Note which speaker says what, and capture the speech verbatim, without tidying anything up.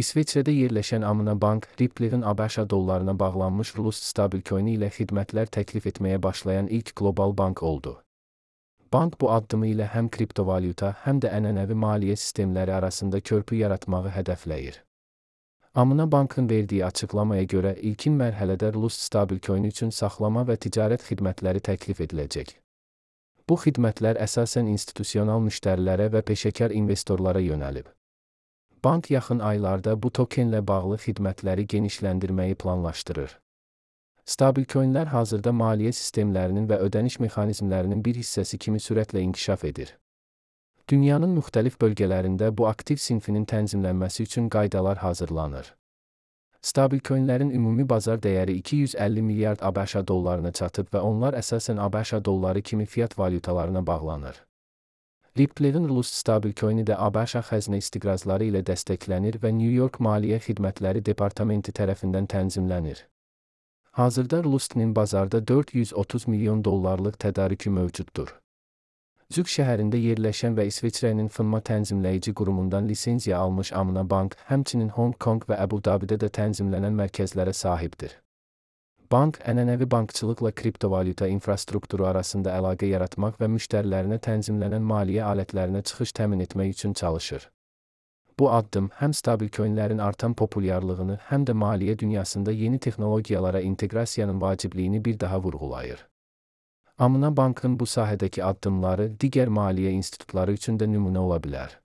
Speaker 1: İsveçrədə yerləşən Amına Bank, Ripple'in ABŞ dollarına bağlanmış Rust stablecoin ilə xidmətlər təklif etməyə başlayan ilk qlobal bank oldu. Bank bu addımı ilə həm kriptovalyuta, həm də ənənəvi maliyyə sistemləri arasında körpü yaratmağı hədəfləyir. Amına Bankın verdiyi açıqlamaya görə ilkin mərhələdə Rust stablecoin üçün saxlama və ticarət xidmətləri təklif ediləcək. Bu xidmətlər əsasən institusional müştərilərə və peşəkar investorlara yönəlib. Bank yaxın aylarda bu tokenlə bağlı xidmətləri genişləndirməyi planlaşdırır. Stablecoinlər hazırda maliyyə sistemlərinin və ödəniş mexanizmlərinin bir hissəsi kimi sürətlə inkişaf edir. Dünyanın müxtəlif bölgələrində bu aktiv sinfinin tənzimlənməsi üçün qaydalar hazırlanır. Stablecoinlərin ümumi bazar dəyəri iki yüz əlli milyard ABŞ dollarına çatıb və onlar əsasən ABŞ dolları kimi fiat valyutalarına bağlanır. Ripple'in Rust stablecoini də ABŞ xəzinə istiqrazları ilə dəstəklənir və New York Maliyyə Xidmətləri Departamenti tərəfindən tənzimlənir. Hazırda Rust'nin bazarda dörd yüz otuz milyon dollarlıq tədarükü mövcuddur. Zug şəhərində yerləşən və İsveçrənin fınma tənzimləyici qurumundan lisenziya almış Amına Bank, həmçinin Hong Kong və Əbu Dabidə də tənzimlənən mərkəzlərə sahibdir. Bank, ənənəvi bankçılıqla kriptovalyuta infrastrukturu arasında əlaqə yaratmaq və müştərilərinə tənzimlənən maliyyə alətlərinə çıxış təmin etmək üçün çalışır. Bu addım həm stablecoinlərin artan populyarlığını, həm də maliyyə dünyasında yeni texnologiyalara inteqrasiyanın vacibliyini bir daha vurğulayır. Amına Bankın bu sahədəki addımları digər maliyyə institutları üçün də nümunə ola bilər.